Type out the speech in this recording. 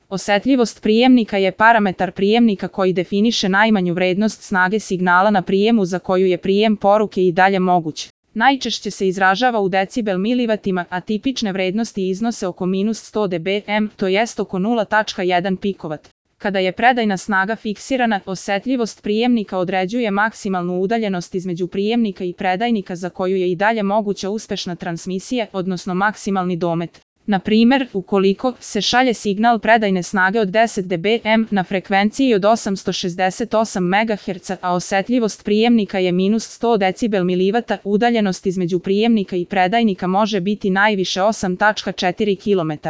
Osetljivost prijemnika je parametar prijemnika koji definiše najmanju vrednost snage signala na prijemu za koju je prijem poruke i dalje moguć. Najčešće se izražava u decibel milivatima, a tipične vrednosti iznose oko -100 dBm, to jest oko 0,1 pikovat. Kada je predajna snaga fiksirana, osetljivost prijemnika određuje maksimalnu udaljenost između prijemnika i predajnika za koju je i dalje moguća uspešna transmisija, odnosno maksimalni domet. Na primjer, ukoliko se šalje signal predajne snage od 10 dBm na frekvenciji od 868 MHz, a osetljivost prijemnika je -100 dB, udaljenost između prijemnika i predajnika može biti najviše 8,4 km.